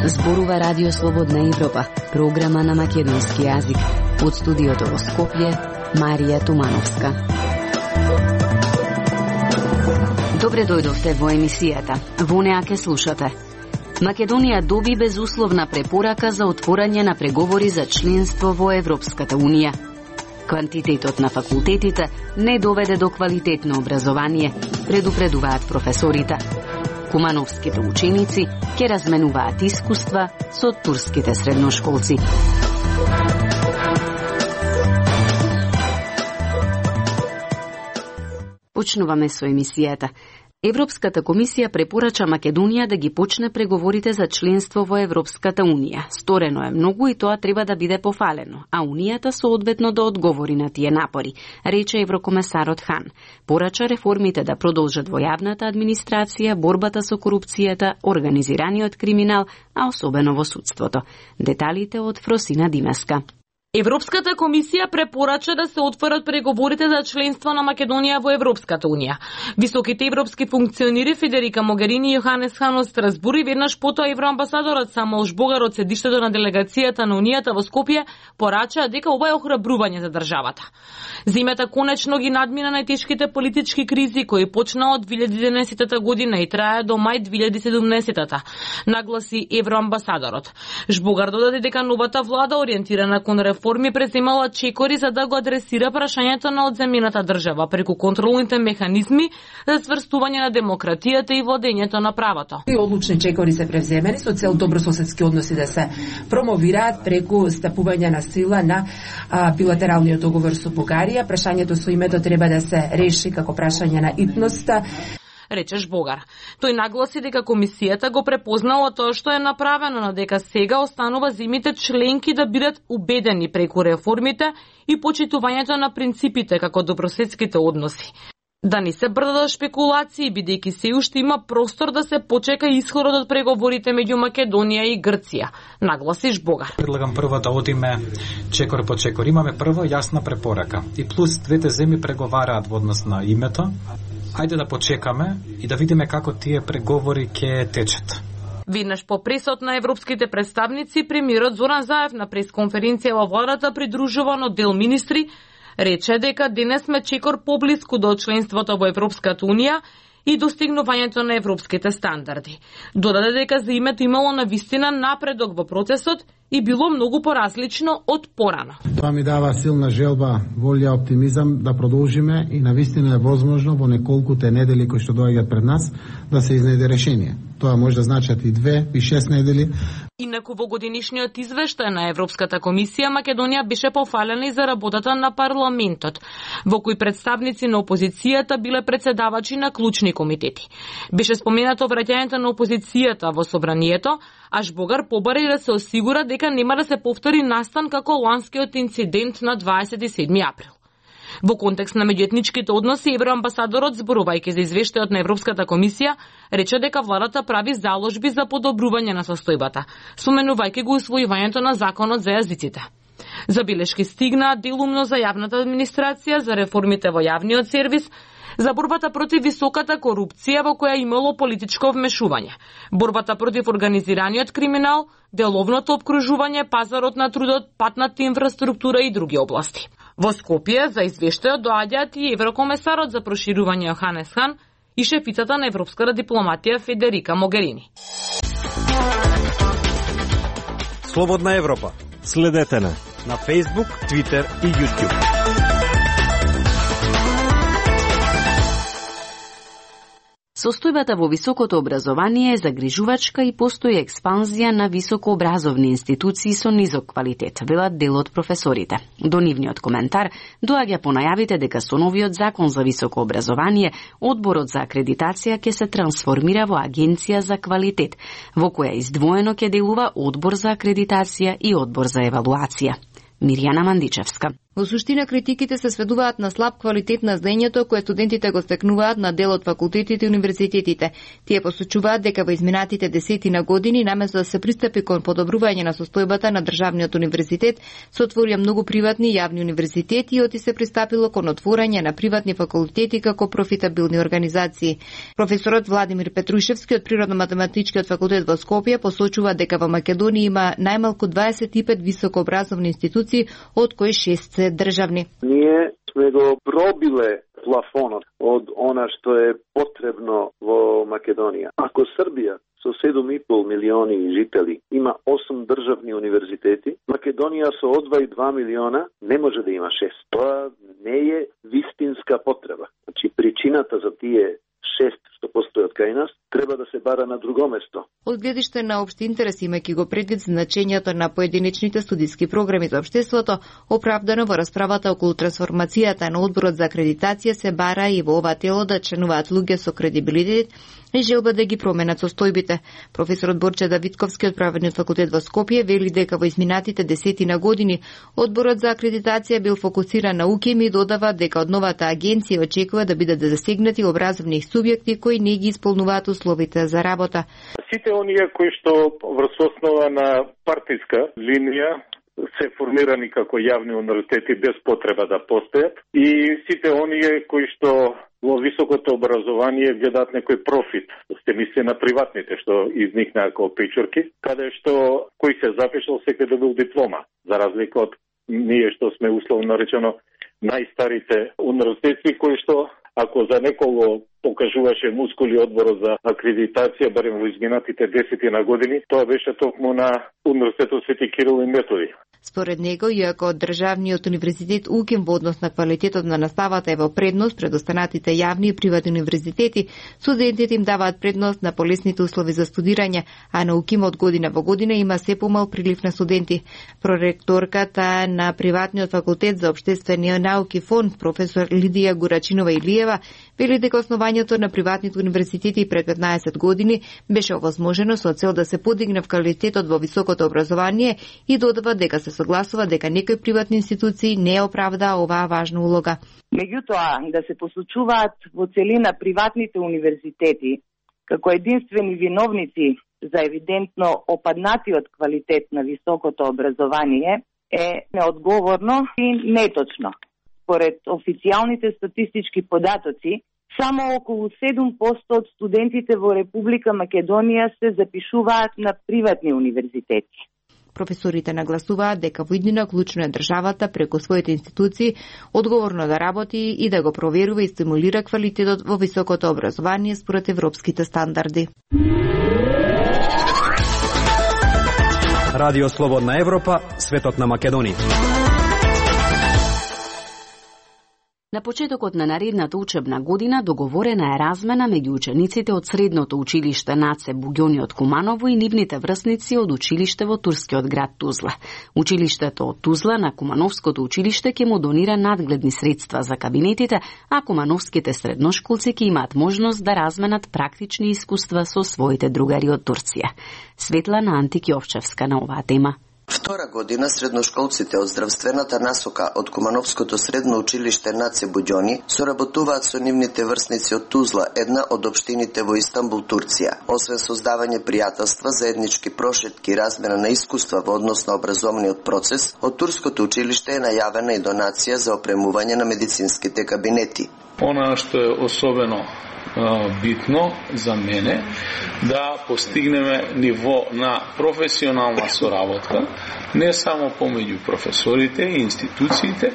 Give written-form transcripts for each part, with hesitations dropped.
Зборува Радио Слободна Европа, програма на македонски јазик. Од студиото во Скопје, Марија Тумановска. Добре дојдовте во емисијата. Во неа ке слушате. Македонија доби безусловна препорака за отворање на преговори за членство во Европската Унија. Квантитетот на факултетите не доведе до квалитетно образование, предупредуваат професорите. Кумановските ученици ќе разменуваат искуства со турските средношколци. Почнуваме со емисијата. Европската комисија препорача Македонија да ги почне преговорите за членство во Европската Унија. Сторено е многу и тоа треба да биде пофалено, а Унијата соодветно да одговори на тие напори, рече еврокомесарот Хан. Порача реформите да продолжат во јавната администрација, борбата со корупцијата, организираниот криминал, а особено во судството. Деталите од Фросина Димеска. Европската комисија препорача да се отворат преговорите за членство на Македонија во Европската Унија. Високите европски функционери Федерика Могерини и Јоханес Хан од Страсбург и веднаш потоа евроамбасадорот Самуел Жбогар од седиштето на делегацијата на Унијата во Скопје порачаа дека ова е охрабрување за државата. Зимата конечно ги надмина најтешките политички кризи кои почнаа од 2011 година и трае до мај 2017, нагласи евроамбасадорот. Жбогар додаде дека новата влада ориентирана кон реформи преземала чекори за да го адресира прашањето на одземената држава преку контролните механизми за сврстување на демократијата и владењето на правото. И одлучни чекори се превземени со цел добрососедски односи да се промовираат преку стапување на сила на билатералниот договор со Бугарија. Прашањето со името треба да се реши како прашање на итноста, рече Жбогар. Тој нагласи дека комисијата го препознала тоа што е направено, но дека сега останува земјите членки да бидат убедени преку реформите и почитувањето на принципите како добрососедските односи. Да не се брдат шпекулации, бидејќи се уште има простор да се почека исходот од преговорите меѓу Македонија и Грција, нагласи Жбогар. Предлагам прво да одиме чекор по чекор. Имаме прво јасна препорака и плюс двете земји преговараат во однос на името. Ајде да почекаме и да видиме како тие преговори ќе течат. Веднаш по пресот на европските представници, премиерот Зоран Заев на пресконференција во владата придружуван од дел министри рече дека денес сме чекор поблиску до членството во Европската Унија и достигнувањето на европските стандарди. Додаде дека за името имало навистина напредок во процесот и било многу поразлично од порано. Тоа ми дава силна желба, волја, оптимизам да продолжиме и навистина е возможно во неколкуте недели кои што доаѓаат пред нас да се изнајде решение. Тоа може да значат и 2 и 6 недели. Инаку во годинишниот извештај на Европската комисија Македонија беше пофалена и за работата на парламентот, во кој представници на опозицијата биле председавачи на клучни комитети. Беше споменато враќањето на опозицијата во собранието, а Жбогар побари да се осигура дека нема да се повтори настан како ланскиот инцидент на 27 април. Во контекст на меѓуетничките односи, евроамбасадорот, зборувајќи за извештајот на Европската комисија, рече дека владата прави заложби за подобрување на состојбата, споменувајќи го усвојувањето на законот за јазиците. Забелешки стигнаа делумно за јавната администрација, за реформите во јавниот сервис, за борбата против високата корупција во која имало политичко вмешување, борбата против организираниот криминал, деловното обкружување, пазарот на трудот, патната инфраструктура и други области. Во Скопје за извештајот доаѓаат и еврокомесарот за проширување Јоханес Хан и шефицата на европската дипломатија Федерика Могерини. Слободна Европа. Следете на Facebook, Twitter и YouTube. Состојбата во високото образование е загрижувачка и постои експанзија на високообразовни институции со низок квалитет, велат дел од професорите. До нивниот коментар доаѓа по најавите дека со новиот закон за високо образование, одборот за акредитација ќе се трансформира во агенција за квалитет, во која издвоено ќе делува одбор за акредитација и одбор за евалуација. Мирјана Мандичевска. Во суштина, критиките се сведуваат на слаб квалитет на знаењето кое студентите го стекнуваат на дел од факултетите и универзитетите. Тие посочуваат дека во изминатите десетина години, наместо да се пристапи кон подобрување на состојбата на државниот универзитет, се отворија многу приватни и јавни универзитети и оти се пристапило кон отворање на приватни факултети како профитабилни организации. Професорот Владимир Петрушевски од Природно-математичкиот факултет во Скопје посочува дека во Македонија има најмалку 25 високообразовни институции, од кои 6 се државни. Ние сме го пробиле плафонот од она што е потребно во Македонија. Ако Србија со 7,5 милиони жители има 8 државни универзитети, Македонија со 2,2 милиона не може да има 6. Тоа не е вистинска потреба. Значи причината за тие 6 што постојат кај нас, треба да се бара на друго место. Од гледиште на општи интерес, имајќи го предвид значењето на поединечните студиски програми за општеството, оправдано во расправата околу трансформацијата на одборот за акредитација се бара и во ова тело да членуваат луѓе со кредибилитет и желба да ги променат состојбите. Професорот Борче Давидковски од Правниот факултет во Скопје вели дека во изминатите десетина години одборот за акредитација бил фокусиран на УКИМ и додава дека од новата агенција очекува да бидат засегнати образовни субјекти кои не ги исполнуваат условите за работа. Сите оние кои што врз основа на партиска линија се формирани како јавни универзитети без потреба да постојат и сите оние кои што во високото образование гледаат некој профит, сте мисли на приватните што изникнаа како печорки, каде што кој се запишал секој добил диплома, за разлика од ние што сме условно речено најстарите универзитети кои што ако за некого покажуваше мускули одборот за акредитација, барем во изминатите 10 години, тоа беше токму на Универзитетот Свети Кирил и Методи. Според него, иако државниот универзитет УКИМ во однос на квалитетот на наставата е во предност пред останатите јавни и приватни универзитети, студентите им даваат предност на полесните услови за студирање, а на УКИМ од година во година има се помал прилив на студенти. Проректорката на Приватниот факултет за општествени науки ФОН, професор Лидија Гурачинова Илиева, вели дека основањето на приватните универзитети пред 15 години беше овозможено со цел да се подигне квалитетот во високото образование и додава дека се согласува дека некои приватни институции не оправдаа оваа важна улога. Меѓутоа, да се посочуваат во целина приватните универзитети како единствени виновници за евидентно опаднатиот квалитет на високото образование е неодговорно и неточно. Според официјалните статистички податоци, само околу 7% од студентите во Република Македонија се запишуваат на приватни универзитети. Професорите нагласуваат дека во иднина клучно е државата преку своите институции одговорно да работи и да го проверува и стимулира квалитетот во високото образование според европските стандарди. Радио Слободна Европа, светот на Македонија. На почетокот на наредната учебна година договорена е размена меѓу учениците од средното училиште Наце Буѓони од Куманово и нивните врсници од училиште во турскиот град Тузла. Училиштето од Тузла на Кумановското училиште ќе му донира надгледни средства за кабинетите, а кумановските средношколци ќе имаат можност да разменат практични искуства со своите другари од Турција. Светлана Антикјовчевска на оваа тема. Втора година средношколците од здравствената насока од Кумановското средно училиште Наце Буѓони соработуваат со нивните врсници од Тузла, една од општините во Истанбул, Турција. Освен создавање пријателства, заеднички прошетки и размена на искуства во однос на образовниот процес, од турското училиште е најавена и донација за опремување на медицинските кабинети. Она што е особено битно за мене да постигнеме ниво на професионална соработка не само помеѓу професорите и институциите,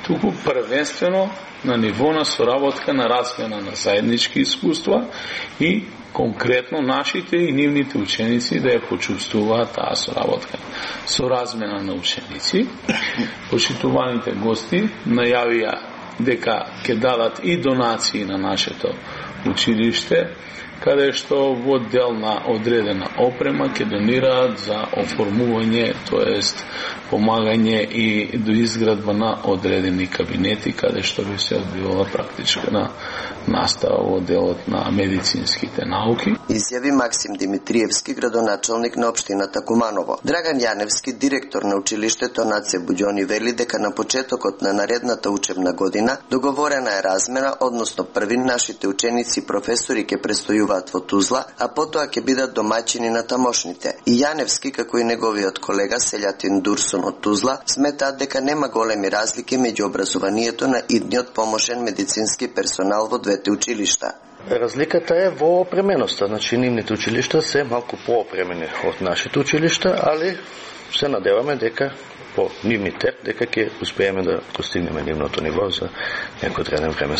туку првенствено на ниво на соработка на размена на заеднички искуства и конкретно нашите и нивните ученици да ја почувствуваат таа соработка. Со размена на ученици, почитуваните гости најавија дека ќе дадат и донации на нашето училиште каде што во дел на одредена опрема ќе донираат за оформување, тоест помагање и до изградба на одредени кабинети, каде што би се одбивала практична настава во делот на медицинските науки. Изјави Максим Димитриевски, градоначалник на општината Куманово. Драган Јаневски, директор на училиштето Наце Буѓони, вели дека на почетокот на наредната учебна година договорена е размена, односно први нашите ученици и професори ќе престојуваат во Тузла, а потоа ќе бидат домаќини на тамошните. И Јаневски, како и неговиот колега селјатин Дурсун од Тузла, сметаат дека нема големи разлики меѓу образованието на идниот поможен медицински персонал во двете училишта. Разликата е во опременоста, значи нивните училишта се малку поопремени од нашите училишта, али се надеваме дека по нивни теп дека ќе успееме да постигнеме нивното ниво за некој одреден време.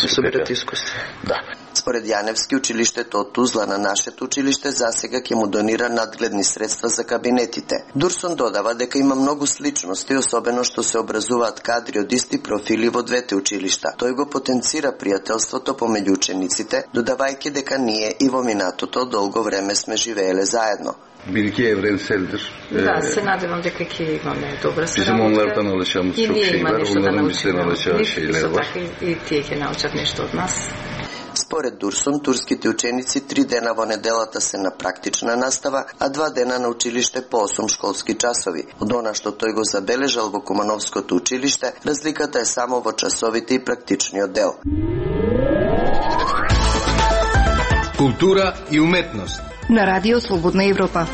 Да. Според Јаневски, училиштето од Тузла на нашето училиште засега ќе му донира надгледни средства за кабинетите. Дурсон додава дека има многу сличности, особено што се образуваат кадри од исти профили во двете училишта. Тој го потенцира пријателството помеѓу учениците, додавајќи дека ние и во минатото долго време сме живееле заедно. Билки еврен селдер. Да, се надевам дека ќе имаме добра соработка. Писмонларда научам шейлер, уларам би се научава шейлер. И тие ќе научат нешто од нас. Според Дурсон, турските ученици 3 дена во неделата се на практична настава, а 2 дена на училиште по 8 школски часови. Од она што тој го забележал во Кумановското училиште, разликата е само во часовите и практичниот дел. Култура и уметност. На Радио Слободна Европа.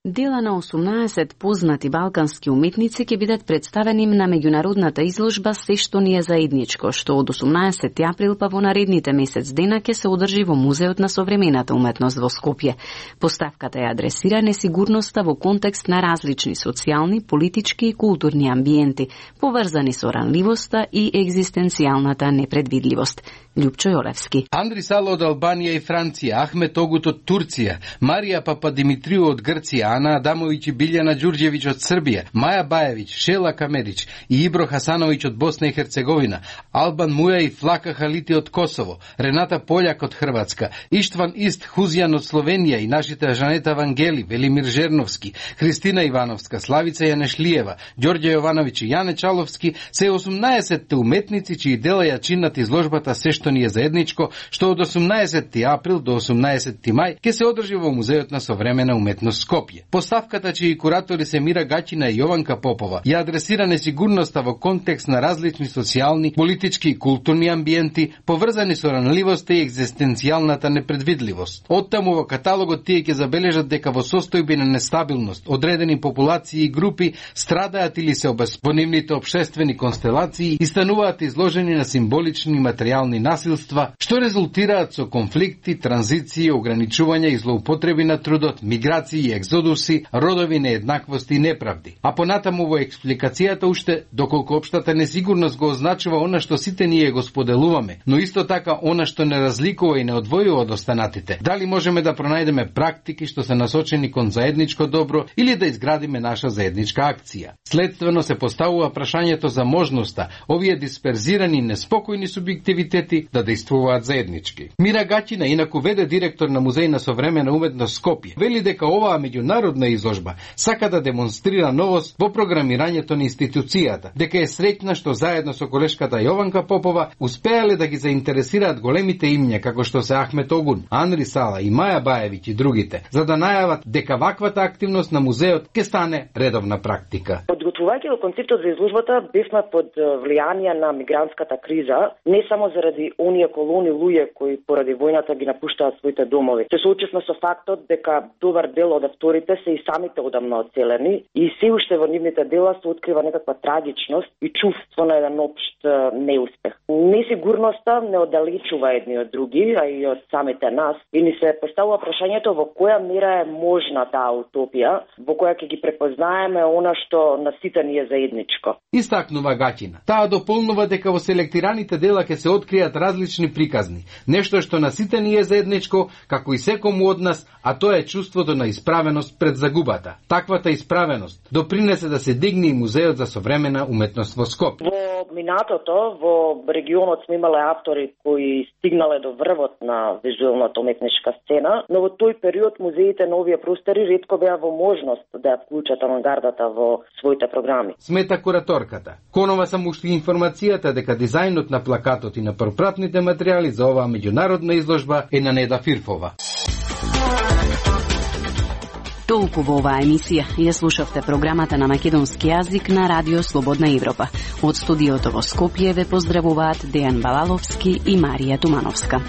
Дела на 18 познати балкански уметници ќе бидат представени на меѓународната изложба Се што ни е заедничко, што од 18 април па во наредните месец дена ќе се одржи во Музеот на современата уметност во Скопје. Поставката ја адресира несигурноста во контекст на различни социјални, политички и културни амбиенти, поврзани со ранливоста и екзистенцијалната непредвидливост. Љупчо Јолевски. Андри Сало од Албанија и Франција, Ахмет Огут од Турција, Марија Пападимитрiju од Грција, Ана Адамовиќ и Билјана Ѓурѓевиќ од Србија, Маја Бајевиќ, Шела Камерич и Ибро Хасановиќ од Босна и Херцеговина, Албан Муја и Флака Халити од Косово, Рената Пољак од Хрватска, Иштван Ист Хузјан од Словенија и нашите Жанета Вангели, Велимир Жерновски, Христина Ивановска, Славица Јанешлиева, Ѓорѓе Јовановиќ и Јане Чаловски се 18 уметници чии дела ја чинат изложбата Се што ни е заедничко, што од 18 април до 18 мај ќе се одржи во Музеот на современа уметност Скопје. Поставката чии куратори се Мира Гаќина и Јованка Попова ја адресира несигурноста во контекст на различни социјални, политички и културни амбиенти, поврзани со ранливоста и екзистенцијалната непредвидливост. Оттаму во каталогот тие ќе забележат дека во состојби на нестабилност одредени популации и групи страдаат или се во нивните општествени констелации и стануваат изложени на символични и материјални насилства, што резултираат со конфликти, транзиции, ограничувања и злоупотреби на трудот, миграции и екзодуси, родови нееднаквости и неправди. А понатаму во експликацијата уште доколку општата несигурност го означува она што сите ние го споделуваме, но исто така она што не разликува и не одвојува од останатите. Дали можеме да пронајдеме практики што се насочени кон заедничко добро или да изградиме наша заедничка акција? Следствено се поставува прашањето за можноста овие дисперзирани неспокојни субјективитети да действуваат заеднички. Мира Гаќина, инаку веде директор на Музеј на современа уметност Скопје, вели дека оваа меѓународна изложба сака да демонстрира новост во програмирањето на институцијата, дека е среќна што заедно со колешката Јованка Попова успеале да ги заинтересираат големите имња како што се Ахмет Огун, Анри Сала и Маја Бајевиќ и другите, за да најават дека ваквата активност на музеот ќе стане редовна практика. Подготвувајќи го концептот за изложбата, бевме под влијание на мигрантската криза, не само заради оние колони луѓе кои поради војната ги напуштаат своите домови. Се соочивме со фактот дека добар дел од авторите се и самите одамна оцелени и се уште во нивните дела се открива некаква трагичност и чувство на еден општ неуспех. Несигурноста не оддалечува едни од други, а и од самите нас, и ни се поставува прашањето во која мера е можна таа утопија, во која ќе ги препознаеме она што на сите ни е заедничко. Истакнува Гаќина. Таа дополнува дека во селектираните дела ќе се откријат различни приказни. Нешто што на сите ни е заедничко, како и секому од нас, а тоа е чувството на исправеност пред загубата. Таквата исправеност допринесе да се дигне и музеот за современа уметност во Скопје. Во минатото, во регионот сме имале автори кои стигнале до врвот на визуелната уметничка сцена, но во тој период музеите на овие простори ретко беа во можност да ја вклучат авангардата во своите програми. Смета кураторката. Конова сам ушти информацијата дека дизајнот на плакатот и на пропратните материјали за оваа меѓународна изложба е на Неда Фирфова. Толку во оваа емисија ја слушавте програмата на македонски јазик на Радио Слободна Европа. Од студиото во Скопје ве поздравуваат Дејан Балаловски и Марија Тумановска.